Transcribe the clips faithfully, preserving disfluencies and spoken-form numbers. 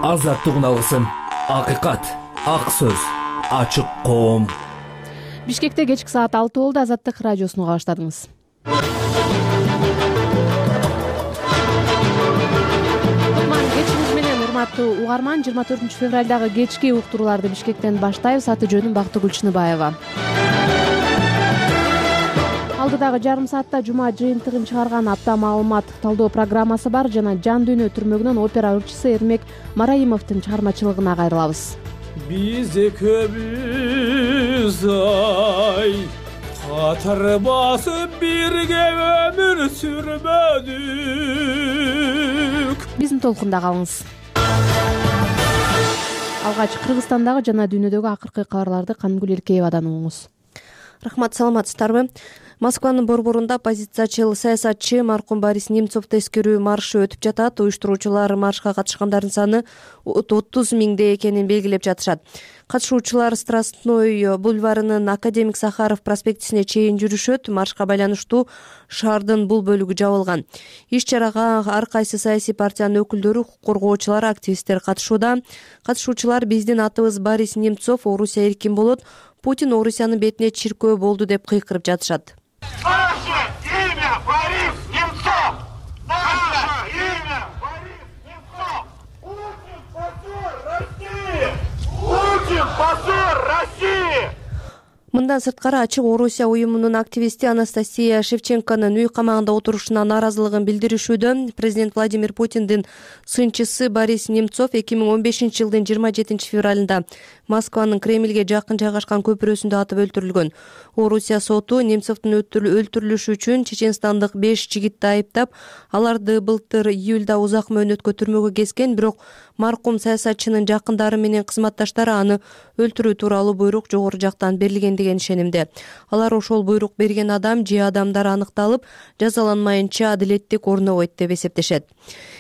азаттык уналысын, акыйкат, ак сөз, ачык коом. Бишкекте кечки саат алты болду. Азаттык радиосуну уга баштадыңыз. Кутман кечиңиз менен урматтуу угарман. жыйырма төртүнчү февралдагы кечки уктурууларды Бишкектен баштайбыз. Аты жөнүм Бактыгүл Чыныбаева. Алдыдагы жарым саатта жума жыйынтыгын чыгарган апта маалымат талдоо программасы бар жана Жан дүйнө түрмөгүнөн опера ырчысы Эрмек Мараимовдун чыгармачылыгына кайрылабыз. Биз экөөбүз ай катар басып бирге өмүр сүрбөдүк. Биздин толкунда калыңыз. Алгач Кыргызстандагы жана дүйнөдөгү акыркы кабарларды Канымгүл Эркеевадан угуңуз. Рахмат, саламатсыздарбы? Москванын борборунда оппозициячыл саясатчы маркум Борис Немцовду эскерүү маршы өтүп жатат. Уюштуруучулар маршка катышкандардын саны отуз миңде экенин белгилеп жатышат. Катышуучулар Страстной бульварынын Академик Сахаров проспектисине чейин жүрүшөт. Маршка байланыштуу шаардын бул бөлүгү жабылган. Иш чарага ар кайсы саясий партиянын өкүлдөрү, укук коргоочулар, активисттер катышууда. Катышуучулар биздин атыбыз Борис Немцов, Орусия эркин болот, Путин Орусиянын бетине чиркөө болду деп кыйкырып жатышат. Наше имя Борис Немцов! Наше имя Борис Немцов! Путин позор России! Путин позор России! Мындан сырткары ачык Орусия уюмунун активисти Анастасия Шевченконун үй камагында отурушуна нааразылыгын билдиришүүдө. Президент Владимир Путиндин сынчысы Борис Немцов эки миң он бешинчи жылдын жыйырма жетинчи февралында Москванын Кремльге жакын жайгашкан көпүрөсүндө атып өлтүрүлгөн. Орусия соту Немцовдун өлтүрүлүшү үчүн чеченстандык беш жигитти айыптап, аларды былтыр июлда узак мөөнөткө түрмөгө кескен, бирок маркум саясатчынын жакындары менен кызматташтары аны өлтүрүү тууралуу буйрук жогору жактан берилген деген ишенимде. Алар ошол буйрук берген адам же адамдар аныкталып, жазаланмайынча адилеттик орнобойт деп эсептешет.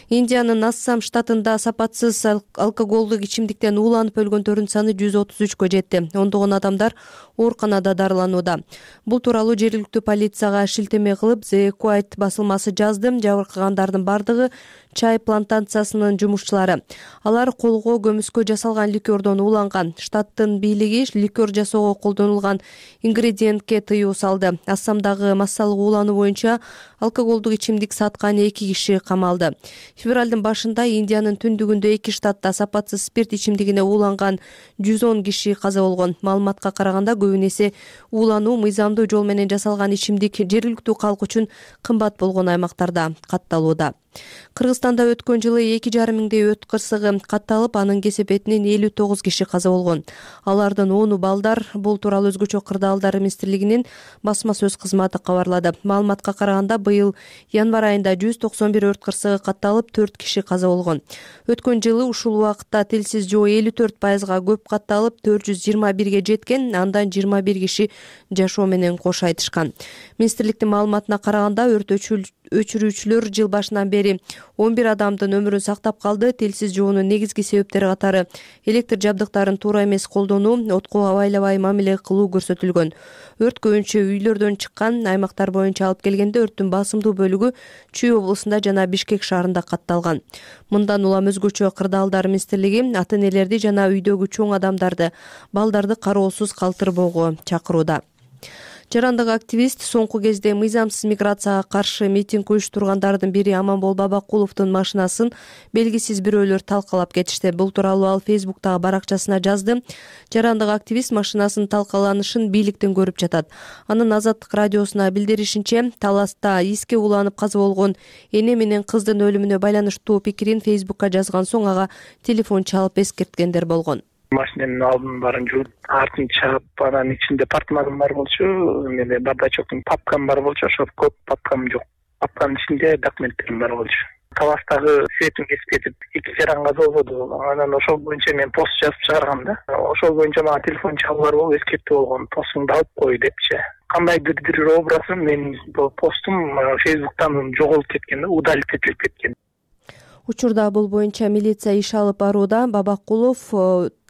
Индиянын Ассам штатында сапатсыз алкоголдук ичимдиктен ууланып өлгөндөрдүн саны жүз отуз үчкө жетти. Ондогон адамдар ооруканада дарыланууда. Бул тууралуу жергиликтүү полицияга шилтеме кылып The Quiet басылмасы жазды. Жабыркагандардын бардыгы чай плантациясынын жумушчулары. Алар колго көмүскө жасалган ликердон ууланган. Штаттын бийлиги ликер жасоого колдонулган ингредиентке тыюу салды. Ассамдагы массалык уулануу боюнча алкоголдук ичимдик саткан эки киши камалды. Февралдын башында Индиянын түндүгүндө эки штатта сапатсыз спирт ичимдигине ууланган жүз он киши каза болгон. Маалыматка караганда көбүн эсе уулануу мыйзамдуу жол менен жасалган ичимдик жергиликтүү калк үчүн кымбат болгон аймактарда катталууда. Кыргызстанда өткөн жылы эки жарым миңдей өт кырсыгы катталып, анын кесепетинен элүү тогуз киши каза болгон. Алардын ону балдар. Бул тууралуу өзгөчө кырдаалдар министрлигинин басма сөз кызматы кабарлады. Маалыматка караганда быйыл январь айында жүз токсон бир өрт кырсыгы катталып, төрт киши каза болгон. Өткөн жылы ушул убакытта тилсиз жоо элүү төрт пайызга көп катталып, төрт жүз жыйырма бирге жеткен, андан жыйырма бир киши жашоо менен кош айтышкан. Министрликтин маалыматына караганда өрт өчүрүүчүлөр жыл башынан бери он бир адамдын өмүрүн сактап калды. Тилсиз жоонун негизги себептери катары электр жабдыктарын туура эмес колдонуу, отко абайлабай мамиле кылуу көрсөтүлгөн. Өрт көбүнчө үйлөрдөн чыккан. Аймактар боюнча алып келгенде өрттүн басымдуу бөлүгү Чүй облусунда жана Бишкек шаарында катталган. Мындан улам өзгөчө кырдаалдар министрлиги ата-энелерди жана үйдөгү чоң адамдарды, балдарды кароосуз калтырбоого чакырууда. Жарандык активист соңку кезде мыйзамсыз миграцияга каршы митинг уюштургандардын бири Аманбол Бабакуловдун машинасын белгисиз бирөөлөр талкалап кетишти. Бул тууралуу ал Фейсбуктагы баракчасына жазды. Жарандык активист машинасынын талкаланышын бийликтен көрүп жатат. Анын Азаттык радиосуна билдиришинче, таласта иске уланып каза болгон эне менен кыздын өлүмүнө байланыштуу пикирин Фейсбукка жазган соң ага телефон чалып эскерткендер болгон. Машинанын алдын барын жууп, артын чаап, анан ичинде портмоном бар болчу, эмне бардачоктун папкам бар болчу, ошо көп папкам жок. Папканын ичинде документтерим бар болчу. Таластагы светим кесип кетип, эки жаран каза болбоду. Анан ошол боюнча мен пост жазып чыгаргам да. Ошол боюнча мага телефон чалуулар болуп, эскертүү болгон, постуңду алып кой депчи. Кандайдыр бир образым менин постум Фейсбуктан жоголуп кеткен да, удалить этилип кеткен. Учурда бул боюнча милиция иш алып барууда. Бабакулов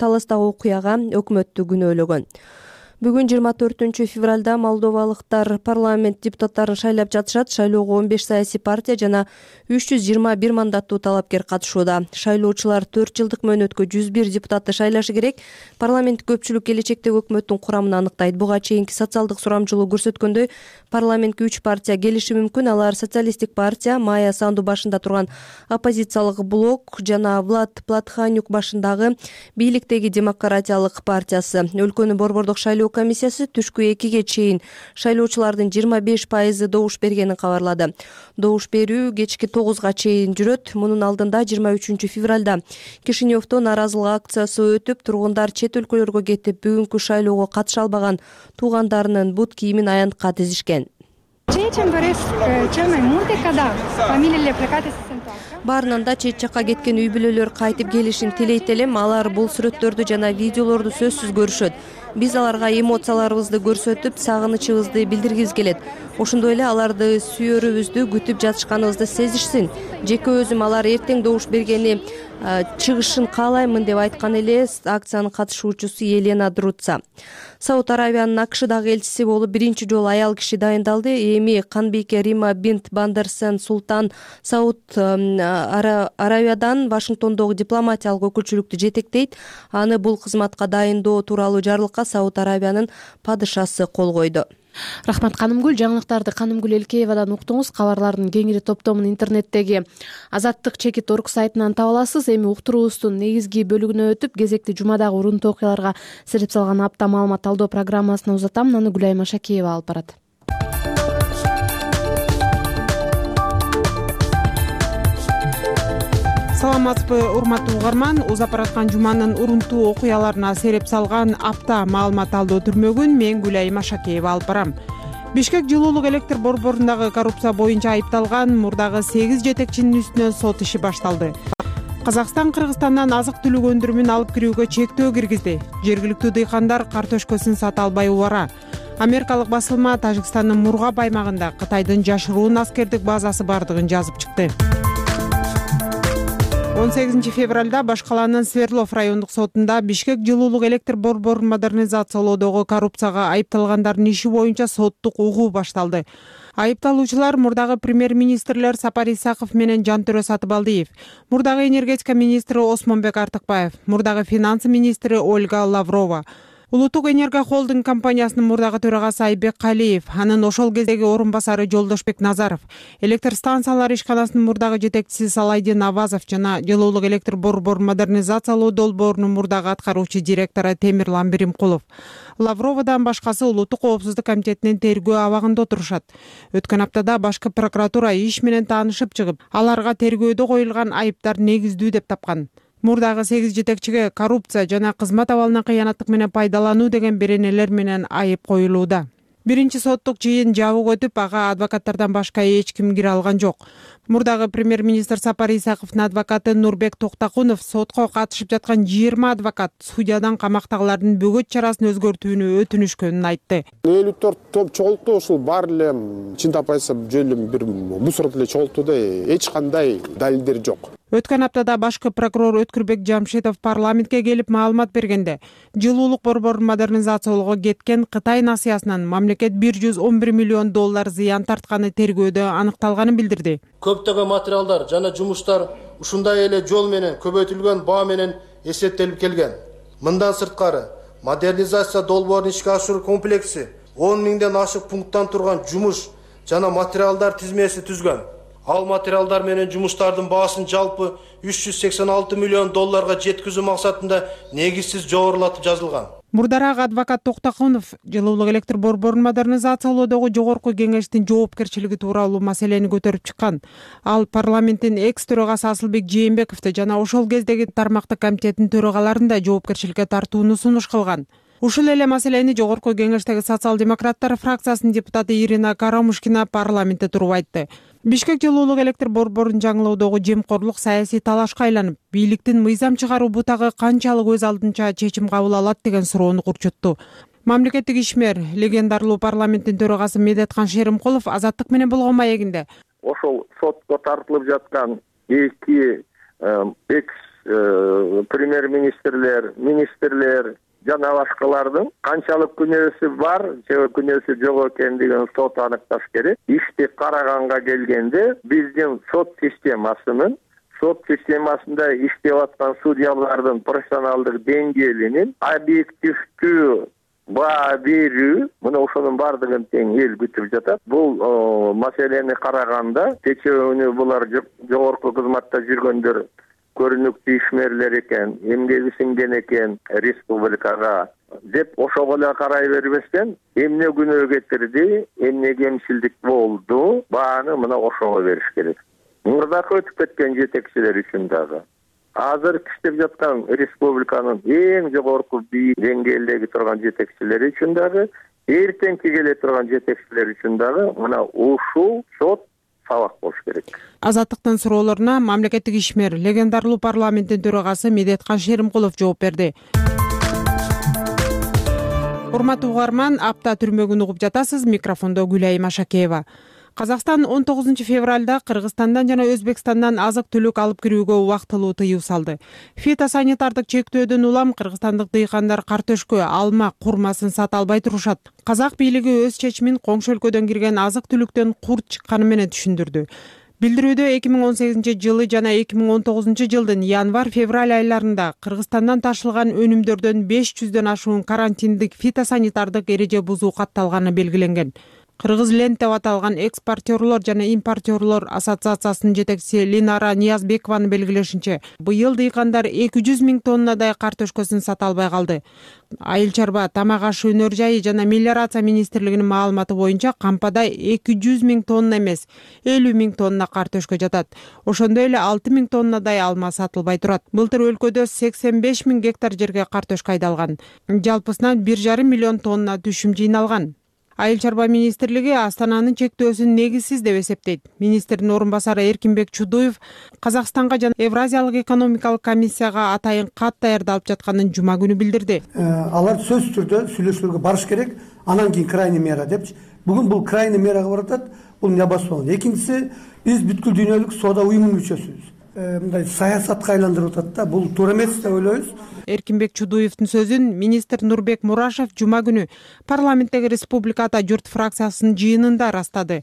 таластагы окуяга өкмөттү күнөөлөгөн. Бүгүн жыйырма төртүнчү февралда молдовалыктар парламент депутаттарын шайлап жатышат. Шайлоого он беш саясий партия жана үч жүз жыйырма бир мандаттуу талапкер катышууда. Шайлоочулар төрт жылдык мөөнөткө жүз бир депутатты шайлашы керек. Парламент көпчүлүк келечектеги өкмөттүн курамын аныктайт. Буга чейинки социалдык сурамжылоо көрсөткөндөй, парламентке үч партия келиши мүмкүн. Алар Социалисттик партия, Майя Санду башында турган оппозициялык блок жана Влад Платханюк башындагы бийликтеги демократиялык партиясы. Өлкөнүн борбордук шайлоо комиссиясы түшкү экиге чейин шайлоочулардын жыйырма беш пайызы добуш бергенин кабарлады. Добуш берүү кечки тогузга чейин жүрөт. Мунун алдында жыйырма үчүнчү февралда Кишиневдо нааразылык акциясы өтүп, тургундар чет өлкөлөргө кетип, бүгүнкү шайлоого катыша албаган туугандарынын бут кийимин аянтка тизишкен. Баарынан да чет жакка кеткен үй бүлөлөр кайтып келишин тилейт элем. Алар бул сүрөттөрдү жана видеолорду сөзсүз көрүшөт. Биз аларга эмоцияларыбызды көрсөтүп, сагынычыбызды билдиргибиз келет. Ошондой эле аларды сүйөрүбүздү күтүп жатышканыбызды сезишсин. Жеке өзүм алар эртең добуш бергени чыгышын каалаймын деп айткан эле акциянын катышуучусу Елена Друца. Сауд Аравиянын АКШдагы элчиси болуп биринчи жолу аял киши дайындалды. Эми канбийке Рима бинт Бандерсен Султан Сауд Аравиядан Вашингтондогу дипломатиялык өкүлчүлүктү жетектейт. Аны бул кызматка дайындоо тууралуу жарлыкка Сауд Аравиянын падышасы кол койду. Рахмат Канымгүл. Жаңылыктарды Канымгүл Элкеевадан уктуңуз. Кабарлардын кеңири топтомун интернеттеги Азаттык чекит орг сайтынан таба аласыз. Эми уктуруубуздун негизги бөлүгүнө өтүп, кезекти жумадагы урунтуу окуяларга сирип салган апта маалымат талдоо программасына узатам. Аны Гүлайым Ашакеева алып барат. Саламатсызбы, урматтуу угарман. Узап бараткан жуманын урунтуу окуяларына сереп салган апта маалымат талдоо түрмөгүн мен Гүлайым Ашакеева алып барам. Бишкек жылуулук электр борборундагы коррупция боюнча айыпталган мурдагы сегиз жетекчинин үстүнөн сот иши башталды. Казакстан Кыргызстандан азык түлүк өндүрүмүн алып кирүүгө чектөө киргизди. Жергиликтүү дыйкандар картошкасын сата албай убара. Америкалык басылма Тажикстандын Мургаб аймагында Кытайдын жашыруун аскердик базасы бардыгын жазып чыкты. он сегизинчи февралда Баш калаанын Свердлов райондук сотунда Бишкек жылуулук электр борборун модернизациялоодогу коррупцияга айыпталгандардын иши боюнча соттук угуу башталды. Айыпталуучулар мурдагы премьер-министрлер Сапар Исаков менен Жантөрө Сатыбалдиев, мурдагы энергетика министри Осмонбек Артыкбаев, мурдагы финансы министри Ольга Лаврова, Улуттук энерго холдинг компаниясынын мурдагы төрагасы Айбек Калиев, анын ошол кездеги орун басары Жолдошбек Назаров, электр станциялары ишканасынын мурдагы жетекчиси Салайдин Авазов жана жылуулук электр борборун модернизациялоо долбоорунун мурдагы аткаруучу директору Темирлан Биримкулов. Лавровадан башкасы Улуттук коопсуздук комитетинин тергөө абагында отурушат. Өткөн аптада башкы прокуратура иш менен таанышып чыгып, аларга тергөөдө коюлган айыптар негиздүү деп тапкан. Мурдагы сегиз жетекчиге коррупция жана кызмат абалына кыянаттык менен пайдалануу деген беренелер менен айып коюлууда. Биринчи соттук жыйын жабык өтүп, ага адвокаттардан башка эч ким кире алган жок. Мурдагы премьер-министр Сапар Исаковдун адвокаты Нурбек Токтакунов сотко катышып жаткан жыйырма адвокат судьядан камактагылардын бөгөт чарасын өзгөртүүнү өтүнүшкөнүн айтты. элүү төрт топ чогултту, ушул баары эле чындап айтсам жөн эле бир мусор эле чогултту да, эч кандай далилдер жок. Өткөн аптада башкы прокурор Өткүрбек Жамшитов парламентке келип маалымат бергенде, жылуулук борборун модернизациялоого кеткен Кытай насыясынан мамлекет бир жүз он бир миллион доллар зыян тартканы тергөөдө аныкталганын билдирди. Көптөгөн материалдар жана жумуштар ушундай эле жол менен көбөйтүлгөн баа менен эсептелип келген. Мындан сырткары, модернизация долбоорун ишке ашыруу комплекси он миңден ашык пункттан турган жумуш жана материалдар тизмеси түзгөн. Ал материалдар менен жумуштардын баасын жалпы үч жүз сексен алты миллион долларга жеткизүү максатында негизсиз жогорулатып жазылган. Мурдараак адвокат Токтакунов жылуулук электр борборун модернизациялоодогу жогорку кеңештин жоопкерчилиги тууралуу маселени көтөрүп чыккан. Ал парламенттин экс төрагасы Асылбек Жээнбековду жана ошол кездеги тармактык комитеттин төрагаларын да жоопкерчиликке тартууну сунуш кылган. Ушул эле маселени жогорку кеңештеги социал-демократтар фракциясынын депутаты Ирина Карамушкина парламентте туруп айтты. Бишкек жылуулук электр борборун жаңылоодогу жемкорлук саясий талашка айланып, бийликтин мыйзам чыгаруу бутагы канчалык өз алдынча чечим кабыл алат деген суроону курчутту. Мамлекеттик ишмер, легендарлуу парламенттин төрагасы Медеткан Шеримкулов Азаттык менен болгон маегинде ошол сотко тартылып жаткан эки экс премьер-министрлер, министрлер, жана башкалардын канчалык күнөөсү бар же күнөөсү жок экендигин сот аныкташ керек. Ишти караганга келгенде биздин сот системасынын сот системасында иштеп аткан судьялардын профессионалдык деңгээлинин объективдүү баа берүү, мына ошонун баардыгын тең эл күтүп жатат. Бул маселени караганда кечээ булар жогорку кызматта жүргөндөр көрүнүктүү ишмерлер экен, эмгеги сиңген экен республикага деп ошого эле карай бербестен, эмне күнөө кетирди, эмне кемчилдик болду, бааны мына ошого бериш керек. Мурдакы өтүп кеткен жетекчилер үчүн дагы, азыр иштеп жаткан республиканын эң жогорку бийик деңгээлдеги турган жетекчилери үчүн дагы, эртеңки келе турган жетекчилер үчүн дагы мына ушул сот сабак болуш керек. Азаттыктын суроолоруна мамлекеттик ишмер, легендарлуу парламенттин төрагасы Медеткан Шеримкулов жооп берди. Урматтуу угарман, апта түрмөгүн угуп жатасыз. Микрофондо Гүлайым Ашакеева. Казакстан он тогузунчу февралда Кыргызстандан жана Өзбекстандан азык-түлүк алып кирүүгө убактылуу тыюу салды. Фитосанитардык чектөөдөн улам кыргызстандык дыйкандар картөшкө, алма, курмасын сата албай турушат. Казак бийлиги өз чечимин коңшу өлкөдөн кирген азык-түлүктөн курт чыкканы менен түшүндүрдү. Билдирүүдө эки миң он сегизинчи жылы жана эки миң он тогузунчу жылдын январь-февраль айларында Кыргызстандан ташылган өнүмдөрдөн беш жүздөн ашуун карантиндик фитосанитардык эреже бузуу катталганы белгиленген. Кыргыз Ленд деп аталган экспортерлор жана импортерлор ассоциациясынын жетекчиси Линара Ниязбекованын белгилешинче, быйыл дыйкандар эки жүз миң тоннадай картөшкөсүн сата албай калды. Айыл чарба, тамак ашы өнөр жайы жана мелиорация министрлигинин маалыматы боюнча кампада эки жүз миң тонна эмес, элүү миң тонна картөшкө жатат. Ошондой эле алты миң тоннадай алма сатылбай турат. Былтыр өлкөдө сексен беш миң гектар жерге картөшкө айдалган. Жалпысынан бир жарым миллион тонна түшүм жыйналган. Айыл чарба министрлиги Астананын чектөөсүн негизсиз деп эсептейт. Министрдин орун басары Эркинбек Чудуев Казакстанга жана Евразиялык экономикалык комиссияга атайын кат даярдалып жатканын жума күнү билдирди. Алар сөзсүз түрдө сүйлөшүүлөргө барыш керек, анан кийин крайний мера депчи. Бүгүн бул крайний мерага баратат, бул небаспан. Экинчиси, биз бүткүл дүйнөлүк соода уюмунун мүчөсүбүз. Мындай саясатка айландырып атат да, бул туура эмес деп ойлойбуз. Эркинбек Чудуевдин сөзүн министр Нурбек Мурашев жума күнү парламенттеги Республиката журт фракциясынын жыйынында ырастады.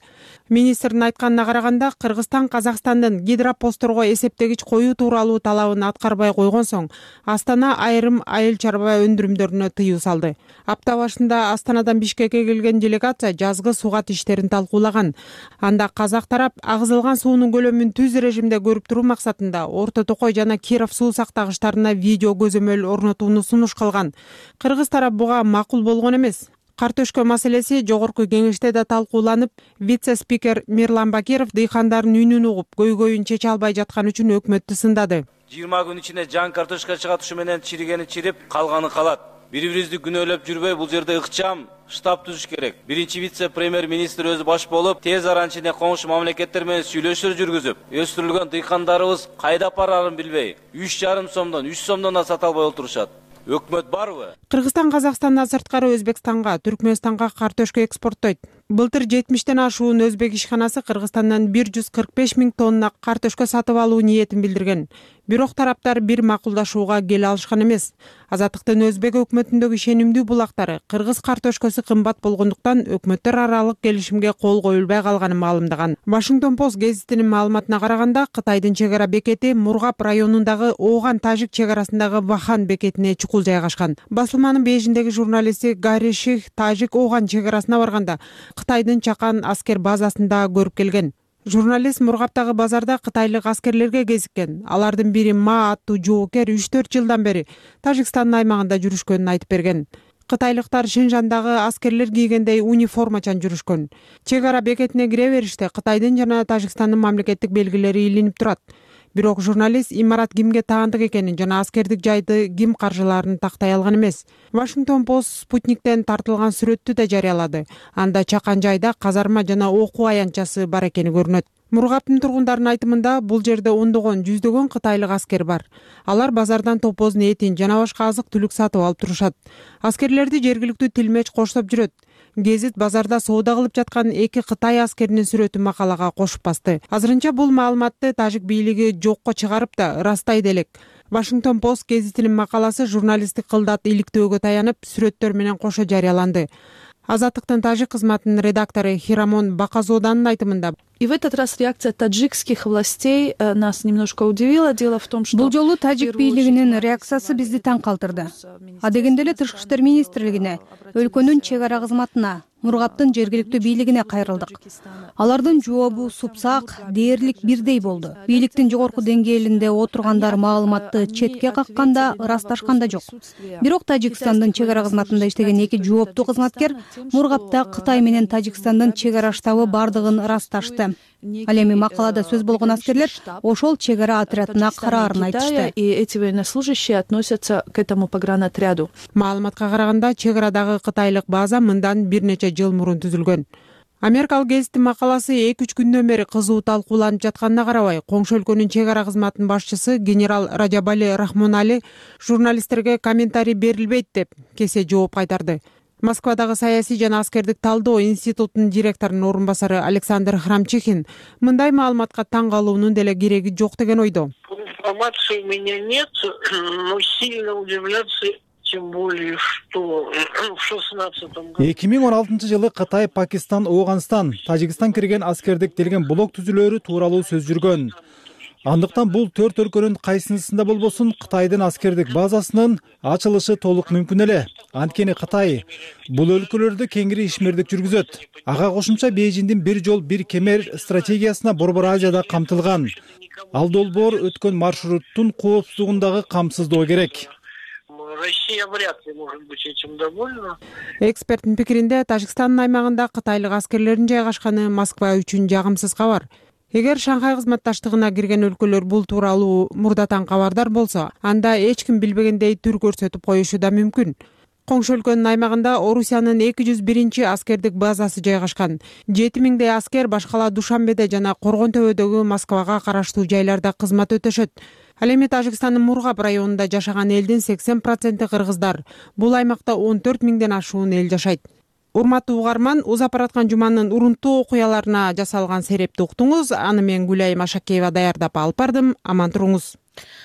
Министрдин айтканына караганда, Кыргызстан Казакстандын гидропостторго эсептегич коюу тууралуу талабын аткарбай койгон соң, Астана айрым айыл чарба өндүрүмдөрүнө тыюу салды. Апта башында Астанадан Бишкекке келген делегация жазгы сугат иштерин талкуулаган. Анда казак тарап агызылган суунун көлөмүн түз режимде көрүп туруу максатында Орто Токой жана Киров суу сактагычтарына видео көзөмөл орнотууну сунуш кылган. Кыргыз тарап буга макул болгон эмес. Картөшкө маселеси жогорку кеңеште да талкууланып, вице-спикер Мирлан Бакиров дыйкандардын үнүн угуп, көйгөйүн чече албай жаткан үчүн өкмөттү сындады. жыйырма күн ичинде жан картошка чыгат, ушу менен чиригени чирип, калганы калат. Бири-бирибизди күнөөлөп жүрбөй, бул жерде ыкчам штаб түзүш керек. Биринчи вице-премьер министр өзү баш болуп, тез арада ичинде коңшу мамлекеттер менен сүйлөшүүлөр жүргүзүп, өстүрүлгөн дыйкандарыбыз кайда барарын билбей, үч жарым сомдон, үч сомдон да сата албай отурушат. Өкмөт барбы? Кыргызстан Казакстандан сырткары Өзбекстанга, Түркмөнстанга картөшкө экспорттойт. Былтыр жетимиштен ашуун өзбек ишканасы Кыргызстандан бир жүз кырк беш миң тонна картөшкө сатып алуу ниетин билдирген. Бирок тараптар бир макулдашууга келе алышкан эмес. Азаттыктын өзбек өкмөтүндөгү ишенимдүү булактары кыргыз картөшкөсү кымбат болгондуктан өкмөттөр аралык келишимге кол коюлбай калганын маалымдаган. Вашингтон Пост гезитинин маалыматына караганда, Кытайдын чек ара бекети Мургап районундагы Ооган-Тажик чек арасындагы Вахан бекетине чукул жайгашкан. Басылманын бейжиндеги журналисти Гарри Ших Тажик Ооган чек арасына барганда Кытайдын чакан аскер базасында көрүп келген. Журналист Мургаптагы базарда кытайлык аскерлерге кезиккен. Алардын бири Ма аттуу жоокер үч төрт жылдан бери Тажикстандын аймагында жүрүшкөнүн айтып берген. Кытайлыктар Шинжандагы аскерлер кийгендей униформачан жүрүшкөн. Чек ара бекетине кире бериште Кытайдын жана Тажикстандын мамлекеттик белгилери илинип турат. Бирок журналист имарат кимге таандык экенин жана аскердик жайды ким каржылаарын тактай алган эмес. Вашингтон Пост Спутниктен тартылган сүрөттү да жарыялады. Анда чакан жайда казарма жана окуу аянтчасы бар экени көрүнөт. Мургаптын тургундарынын айтымында, бул жерде ондогон, жүздөгөн кытайлык аскер бар. Алар базардан топоздун этин жана башка азык-түлүк сатып алып турушат. Аскерлерди жергиликтүү тилмеч коштоп жүрөт. Гезит базарда соода кылып жаткан эки Кытай аскеринин сүрөтүн макалага кошуп басты. Азырынча бул маалыматты тажик бийлиги жокко чыгарып да ырастайт элек. Вашингтон Пост гезитинин макаласы журналисттик кылдат иликтөөгө таянып, сүрөттөр менен кошо жарыяланды. Азаттыктын тажик кызматынын редактору Хирамон Баказоданын айтымында, и в этот раз реакция таджикских властей нас немножко удивила. Дело в том, что бул жолу тажик бийлигинин реакциясы бизди таң калтырды. Адегенде эле Тышкы иштер министрлигине, өлкөнүн чек ара кызматына, Мургаптын жергиликтүү бийлигине кайрылдык. Алардын жообу супсак, дээрлик бирдей болду. Бийликтин жогорку деңгээлинде отургандар маалыматты четке какканда, ырасташкан да жок. Бирок Тажикстандын чек ара кызматында иштеген эки жооптуу кызматкер Мургапта Кытай менен Тажикстандын чек ара штабы бардыгын ырасташты. Ал эми макалада сөз болгон аскерлер ошол чек ара отрядына караарын айтышты. И эти военнослужащие относятся к этому погранотряду. Маалыматка караганда, чек арадагы кытайлык база мындан бир нече жыл мурун түзүлгөн. Америкалык гезиттин макаласы эки үч күндөн бери кызуу талкууланып жатканына карабай, коңшу өлкөнүн чек ара кызматынын башчысы генерал Раджабали Рахмонали журналисттерге комментарий берилбейт деп кесе жооп кайтарды. Москвадагы саясий жана аскердик талдоо институтунун директорунун орун басары Александр Храмчихин мындай маалыматка таң калуунун деле кереги жок деген ойдо. Информации у меня нет, но сильно удивляться, тем более, что в шестнадцатом году. эки миң он алтынчы жылы Кытай, Пакистан, Ооганстан, Тажикстан кирген аскердик делген блок түзүлөрү тууралуу сөз жүргөн. Андыктан бул төрт өлкөнүн кайсынысында болбосун Кытайдын аскердик базасынын ачылышы толук мүмкүн эле. Анткени Кытай бул өлкөлөрдө кеңири ишмердик жүргүзөт. Ага кошумча Бейжиңдин бир жол бир кемер стратегиясына Борбор Азияда камтылган. Ал долбоор өткөн маршруттун коопсуздугун дагы камсыздоо керек. Россия вряд ли может быть этим довольна. Эксперттин пикиринде, Тажикстандын аймагында кытайлык аскерлердин жайгашканы Москва үчүн жагымсыз кабар. Эгер Шанхай кызматташтыгына кирген өлкөлөр бул тууралуу мурдатан кабардар болсо, анда эч ким билбегендей түр көрсөтүп коюшу да мүмкүн. Коңшу өлкөнүн аймагында Орусиянын эки жүз биринчи аскердик базасы жайгашкан. жети миңдей аскер башкала Душанбеде жана Коргон төбөдөгү Москвага караштуу жайларда кызмат өтөшөт. Ал эми Тажикстандын Мургап районунда жашаган элдин сексен проценти кыргыздар. Бул аймакта он төрт миңден ашуун эл жашайт. Урматтуу угарман, узап бараткан жуманын урунттуу окуяларына жасалган серепти уктуңуз. Аны мен Гүлайым Ашакеева даярдап алып бардым. Аман туруңуз.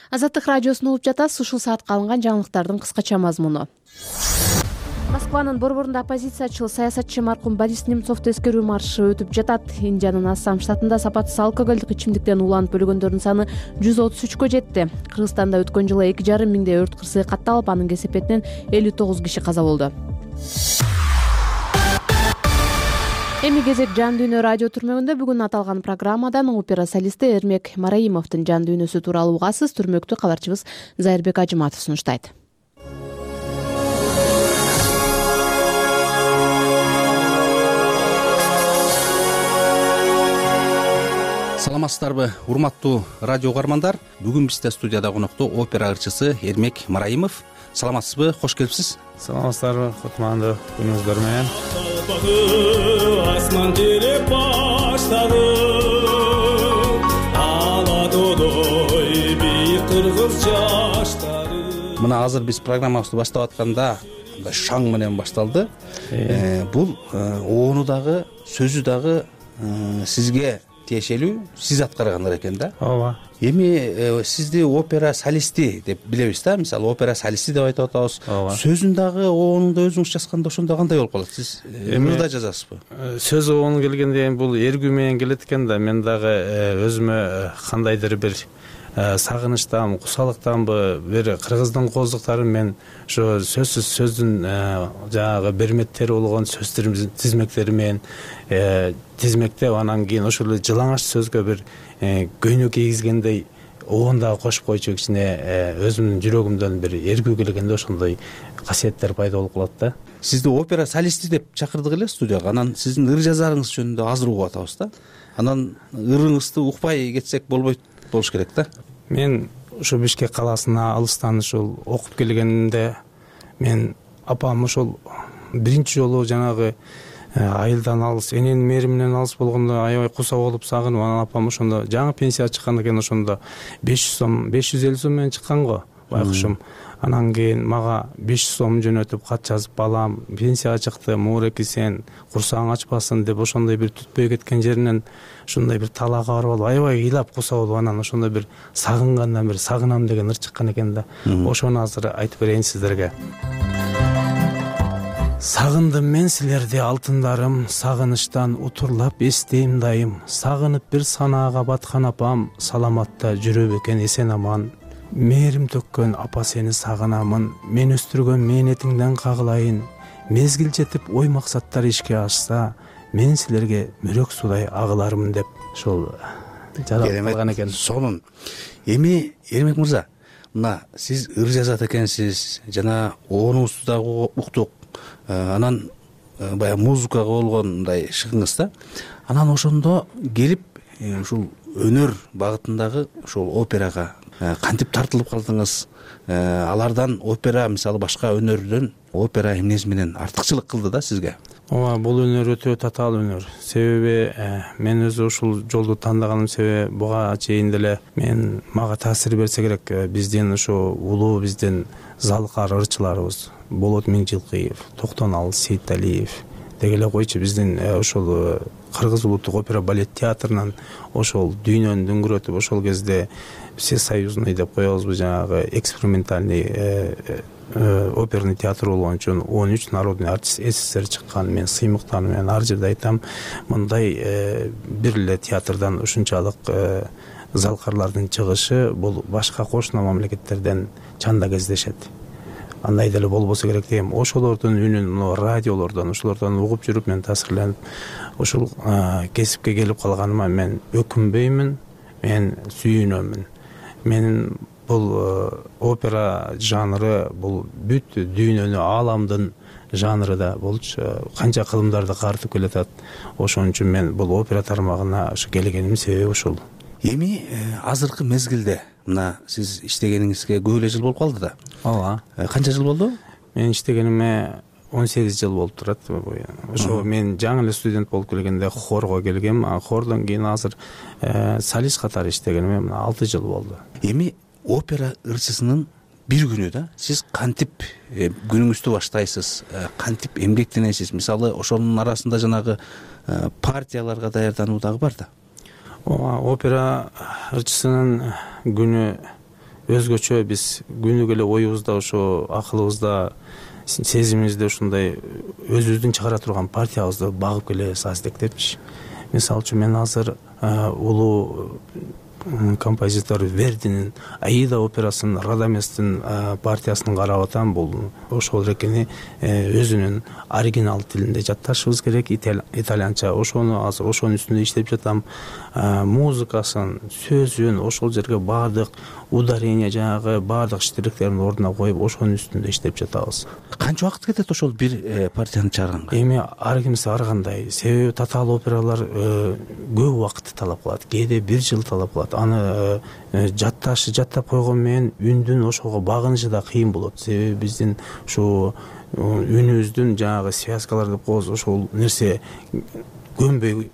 Азаттык радиосун угуп жатасыз. Ушул саатка алынган жаңылыктардын кыскача мазмуну. Москванын борборунда оппозициячыл саясатчы маркум Борис Немцовду эскерүү маршы өтүп жатат. Индиянын Ассам штатында сапатсыз алкоголдук ичимдиктен уланып өлгөндөрдүн саны жүз отуз үчкө жетти. Кыргызстанда өткөн жылы эки жарым миңдей өрт кырсыгы катталып, анын кесепетинен элүү тогуз киши каза болду. Эми кезек жан дүйнө радио түрмөгүндө. Бүгүн аталган программадан опера солисти Эрмек Мараимовдун жан дүйнөсү тууралуу угасыз. Түрмөктү кабарчыбыз Зайырбек Ажыматов сунуштайт. Саламатсыздарбы, урматтуу радио угармандар. Бүгүн бизде студияда конокто опера ырчысы Эрмек Мараимов. Саламатсызбы, кош келипсиз. Саламатсыздарбы, кутмандуу күнүңүздөр менен. Асман тереп баштады, ала додой бийик кыргыз жаштары. Мына азыр биз программабызды баштап атканда шаң менен башталды. Бул оону дагы, сөзү дагы сизге тиешелүү, сиз аткаргандар экен да. Ооба. Эми сизди опера солисти деп билебиз да, мисалы опера солисти деп айтып атабыз. Сөзүн дагы, оонун да өзүңүз жазганда ошондо кандай болуп калат? Сиз эмне жазасызбы? Сөз оонун келгенде бул эргүү менен келет экен да, мен дагы өзүмө кандайдыр бир сагынычтан, кусалыктанбы, бир кыргыздын кооздуктарын мен ошо сөзсүз сөздүн жанагы берметтери болгон сөздөрүмдүн тизмектери менен тизмектеп, анан кийин ошол жылаңач сөзгө бир көйнөк кийгизгендей оон дагы кошуп койчу, кичине өзүмдүн жүрөгүмдөн бир эргүү келгенде ошондой касиеттер пайда болуп калат да. Сизди опера солисти деп чакырдык эле студияга. Анан сиздин ыр жазарыңыз жөнүндө азыр угуп атабыз да. Анан ырыңызды укпай кетсек болбойт болуш керек да. Мен ошо Бишкек калаасына алыстан ушул окуп келгенимде мен апам ошол биринчи жолу жанагы айылдан алыс, эненин мээриминен алыс болгондо аябай куса болуп сагынып, анан апам ошондо жаңы пенсияга чыккан экен, ошондо беш жүз сом, беш жүз элүү сом менен чыккан го. байкушум. Анан кийин мага беш жүз сом жөнөтүп кат жазып, балам пенсияга чыкты, мууреки сен курсагың ачпасын деп ошондой бир түтпөй кеткен жеринен ушундай бир талаага барып алып аябай ыйлап куса болуп, анан ошондой бир сагынгандан бир сагынам деген ыр чыккан экен да. Ошону азыр айтып берейин сиздерге. Сагындым мен силерди алтындарым, сагынычтан утурлап эстейм дайым. Сагынып бир санаага баткан апам, саламатта жүрөбү экен эсен аман. Мээрим төккөн апа сени сагынамын, мен өстүргөн мээнетиңден кагылайын. Мезгил жетип ой максаттар ишке ашса, мен силерге мөрөк судай агылармын деп ошол жаралып калган экен. Сонун. Эми Эрмек мырза, мына сиз ыр жазат экенсиз, жана оонуңузду дагы уктук. Анан баягы музыкага болгон мындай шыгыңыз да. Анан ошондо келип ушул өнөр багытындагы ошол операга кантип тартылып калдыңыз? Алардан опера мисалы башка өнөрдөн опера эмнеси менен артыкчылык кылды да сизге? Ооба, бул өнөр өтө татаал өнөр. Себеби мен өзү ушул жолду тандаганым себеби буга чейин деле мен мага таасир берсе керек биздин ушу улуу биздин залкар ырчыларыбыз Болот Миңжилкыев, Токтонал Сейиталиев деги эле койчу биздин ошол Кыргыз улуттук опера балет театрынан ошол дүйнөнү дүңгүрөтүп ошол кезде всесоюзный деп коебузбу, жанагы экспериментальный оперный театр болгон үчүн он үч народный артист СССР чыккан. Мен сыймыктанып менен ар жерде айтам, мындай бир эле театрдан ушунчалык залкарлардын чыгышы бул башка кошуна мамлекеттерден чанда кездешет. Андай деле болбосо керек дейм. Ошолордун үнүн радиолордон, ошолордон угуп жүрүп мен таасирленип, ошол кесипке келип калганыма мен өкүнбөймүн, мен сүйүнөмүн. Менин бул опера жанры бул бүт дүйнөнү, ааламдын жанры да болчу. Канча кылымдарды картып келатат. Ошон үчүн мен бул опера тармагына ушу келгеним себеби ушул. Эми азыркы мезгилде мына сиз иштегениңизге көп эле жыл болуп калды да. Ооба. Канча жыл болду? Мен иштегениме он сегиз жыл болуп турат. Ошо мен жаңы эле студент болуп келгенде хорго келгем, а хордон кийин азыр солист катары иштегениме мына алты жыл болду. Эми опера ырчысынын бир күнү да сиз кантип күнүңүздү баштайсыз, кантип эмгектенесиз? Мисалы ошонун арасында жанагы партияларга даярдануу дагы бар да. Опера ырчысынын күнү өзгөчө. Биз күнүгө эле оюбузда, ошо акылыбызда, сезимибизде ушундай өзүбүздүн чыгара турган партиябызды багып келебиз аздектепчи. Мисалы үчүн мен азыр улуу композитор Вердинин Аида операсынын Радаместин партиясын карап атам. Бул ошол экени өзүнүн оригинал тилинде жатташыбыз керек, итальянча. Ошону азыр ошонун үстүндө иштеп жатам. Музыкасын, сөзүн ошол жерге баардык ударение, жанагы баардык штрихтерин ордуна коюп, ошонун үстүндө иштеп жатабыз. Канча убакыт кетет ошол бир партияны чыгарганга? Эми ар кимиси ар кандай. Себеби татаал опералар көп убакытты талап кылат, кээде бир жыл талап кылат. Аны жатташы, жаттап койгон менен үндүн ошого багынышы да кыйын болот. Себеби биздин ушу үнүбүздүн жанагы связкалар деп коебуз, ошол нерсе көнбөй,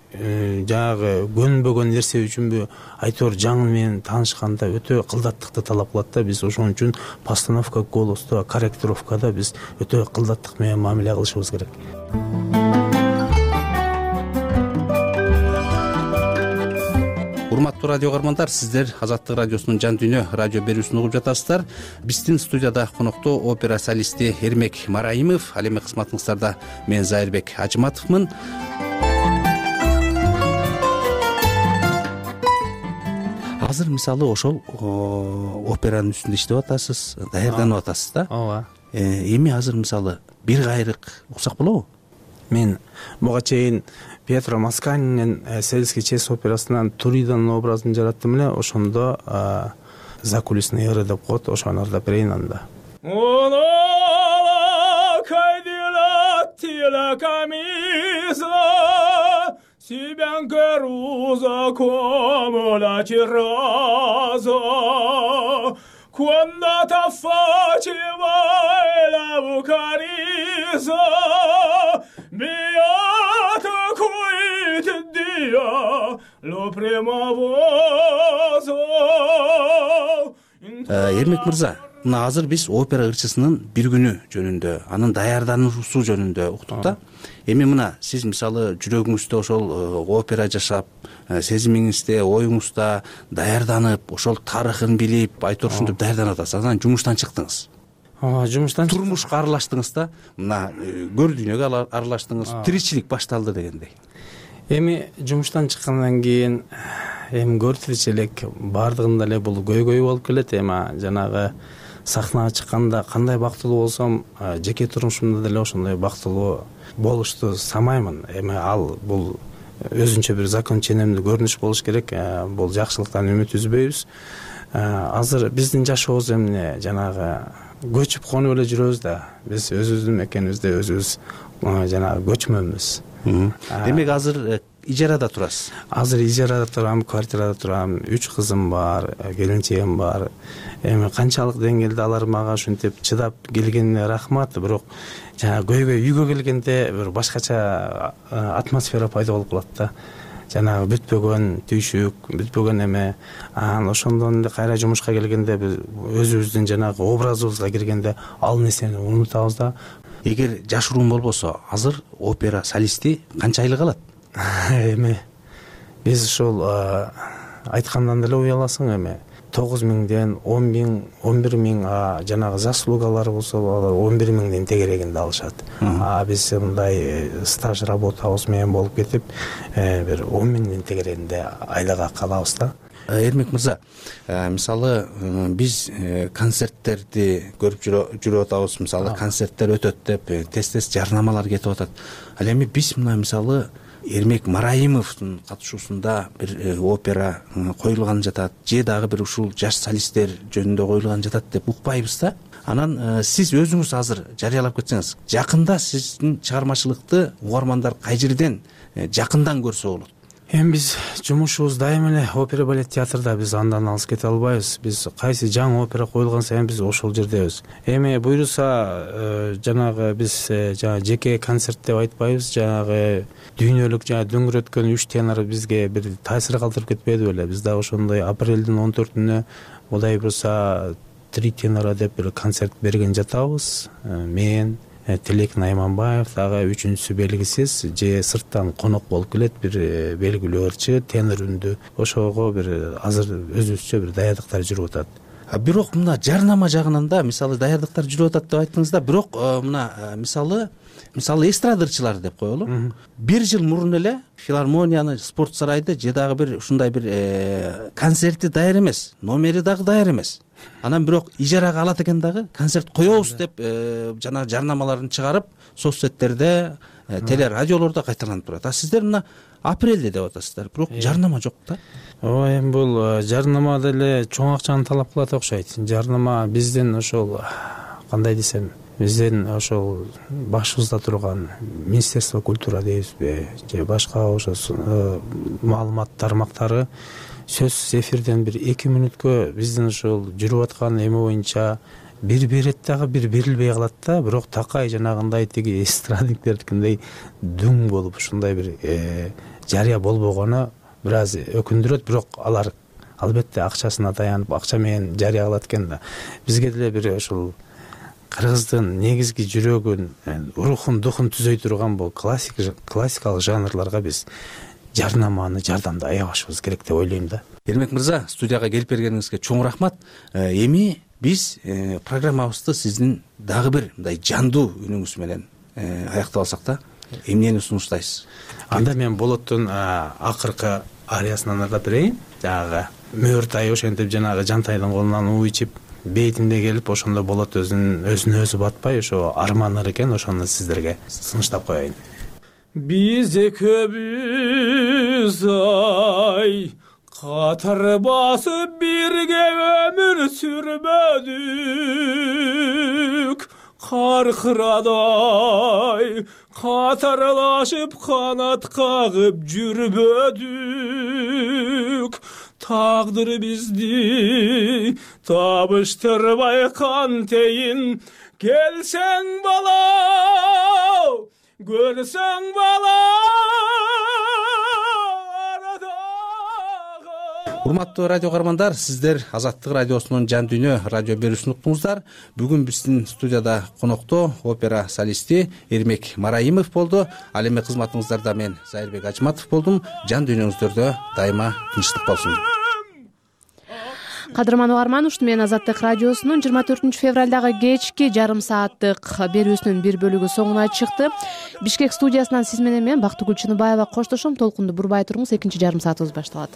жанагы көнбөгөн нерсе үчүнбү айтор жаңы менен таанышканда өтө кылдаттыкты талап кылат да. Биз ошон үчүн постановка голосто, корректировкада биз өтө кылдаттык менен мамиле кылышыбыз керек. Урматтуу радио каармандар, сиздер Азаттык радиосунун жан дүйнө радио берүүсүн угуп жатасыздар. Биздин студияда конокто опера солисти Эрмек Мараимов, ал эми кызматыңыздарда мен Зайырбек Ажыматовмун. Азыр мисалы ошол операнын үстүндө иштеп атасыз, даярданып атасыз да. Ооба. Эми азыр мисалы бир кайрык уксак болобу? Мен буга чейин Пьетро Масканинин Сельский честь операсынан Туриданын образын жараттым эле. Ошондо закулисный ыры деп коет, ошону ырдап берейин анда. Себя Гаруза come la cerrosa quando ta faceva la vocalisa beata cui te dia lo prima voce. Эрмек мырза, мына азыр биз опера ырчысынын бир күнү жөнүндө, анын даярдануусу жөнүндө уктук да. Эми мына сиз мисалы жүрөгүңүздө ошол опера жашап, сезимиңизде, оюңузда даярданып, ошол тарыхын билип, айтор ушинтип даярданып атасыз. Анан жумуштан чыктыңыз. Жумуштан турмушка аралаштыңыз да. Мына көр дүйнөгө аралаштыңыз, тиричилик башталды дегендей. Эми жумуштан чыккандан кийин эми көр тиричилик баардыгында эле бул көйгөй болуп келет. Эми жанагы сахнага чыкканда кандай бактылуу болсом, жеке турмушумда деле ошондой бактылуу болушту самаймын. Эми ал бул өзүнчө бир закон ченемдүү көрүнүш болуш керек. Бул жакшылыктан үмүт үзбөйбүз. Азыр биздин жашообуз эмне жанагы көчүп конуп эле жүрөбүз да. Биз өзүбүздүн мекенибизде өзүбүз жанагы көчмөмүз. Демек азыр ижарада турасыз? Азыр ижарада турам, квартирада турам. Үч кызым бар, келинчегим бар. Эми канчалык деңгээлде алар мага ушинтип чыдап келгенине рахмат. Бирок жанагы көйгөй үйгө келгенде бир башкача атмосфера пайда болуп калат да. Жанагы бүтпөгөн түйшүк, бүтпөгөн эме. Анан ошондон эле кайра жумушка келгенде биз өзүбүздүн жанагы образыбызга киргенде ал нерсени унутабыз да. Эгер жашыруун болбосо, азыр опера солисти канча айлык алат? Эми биз ушул айткандан деле уяласың эми. тогуз миңден он миң, он бир миң, жанагы заслугалар болсо алар он бир миңдин тегерегинде алышат. А биз мындай стаж работабыз менен болуп кетип, бир он миңдин тегерегинде айлык калабыз да. Эрмек мырза, мисалы биз концерттерди көрүп жүрүп атабыз, мисалы концерттер өтөт деп тез-тез жарнамалар кетип атат. Ал эми биз мына мисалы Эрмек Мараимовдун катышуусунда бир опера коюлган жатат, же дагы бир ушул жаш солисттер жөнүндө коюлган жатат деп укпайбыз да. Анан сиз өзүңүз азыр жарыялап кетсеңиз, жакында сиздин чыгармачылыкты угармандар кай жерден жакындан көрсө болот? Эми биз жумушубуз дайыма эле опера балет театрда, биз андан алыс кете албайбыз. Биз кайсы жаңы опера коюлган сайын биз ошол жердебиз. Эми буюрса жанагы биз жана жеке концерт деп айтпайбыз, жанагы дүйнөлүк жана дөңгөрөткөн үч тенор бизге бир таасир калтырып кетпеди беле. Биз дагы ошондой апрелдин он төртүнө Кудай буюрса три тенора деп бир концерт берген жатабыз. Мен Тилек Найманбаев, дагы үчүнчүсү белгисиз, же сырттан конок болуп келет бир белгилүү ырчы, тенор үндүү. Ошого бир азыр өзүбүзчө бир даярдыктар жүрүп атат. Бирок мына жарнама жагынан да мисалы даярдыктар жүрүп атат деп айттыңыз да, бирок мына мисалы мисалы эстрадырчылар деп коелу. Бир жыл мурун эле филармонияны, спорт сарайды же дагы бир ушундай бир концерти даяр эмес, номери дагы даяр эмес. Анан бирок ижарага алат экен дагы, концерт коебуз деп жана жарнамаларын чыгарып, соцсеттерде, телерадиолордо кайталанып турат. А сиздер мына апрелде деп атасыздар, бирок жарнама жок да. Ой, эми бул жарнама деле чоң акчаны талап кылат окшойт. Жарнама биздин ошол кандай десем, биздин ошол башыбызда турган Министерство культура дейбизби, же башка ошо маалымат тармактары сөзсүз эфирден бир эки мүнөткө биздин ошол жүрүп аткан эме боюнча бир берет дагы бир берилбей калат да. Бирок такай жанагындай тиги эстрадниктerdикиндей дүң болуп ушундай бир жарыя болбогону бир аз өкүндүрөт. Бирок алар албетте акчасына таянып, акча менен жарыя кылат экен да. Бизге деле бир ошол кыргыздын негизги жүрөгүн, рухун, духун түзөй турган бул классик классикалык жанрларга биз жарнаманы жардамды аябашыбыз керек деп ойлойм да. Эрмек мырза, студияга келип бергениңизге чоң рахмат. Эми биз программабызды сиздин дагы бир мындай жандуу үнүңүз менен аяктап алсак да, эмнени сунуштайсыз? Анда мен Болоттун акыркы ариясынан ырдап берейин. Жанагы мөөртай ошентип жанагы Жантайдын колунан уу ичип бейтинде келип, ошондо Болот өзүн өзүнө өзү батпай, ошо арманыр экен, ошону сиздерге сунуштап коеюн. Биз экөөбүз ай катар басып бирге өмүр сүрбөдүк, каркырадай катарлашып канат кагып жүрбөдүк. Тагдыр бизди табыштырбай кантейин, келсең бала, көрсөң бала арадагы урматтуу радио каармандар, сиздер Азаттык радиосунун Жан дүйнө радио берүүсүн уктуңуздар. Бүгүн биздин студияда конокто опера солисти Эрмек Мараимов болду. Ал эми кызматыңыздарда мен Зайырбек Ажматов болдум. Жан дүйнөңүздөрдө дайыма тынчтык болсун. Кадырман угарман, ушуну менен Азаттык радиосунун жыйырма төртүнчү февралдагы кечки жарым сааттык берүүсүнүн бир бөлүгү соңуна чыкты. Бишкек студиясынан сиз менен мен Бактыгүл Чыныбаева коштошом. Толкунду бурбай туруңуз, экинчи жарым саатыбыз башталат.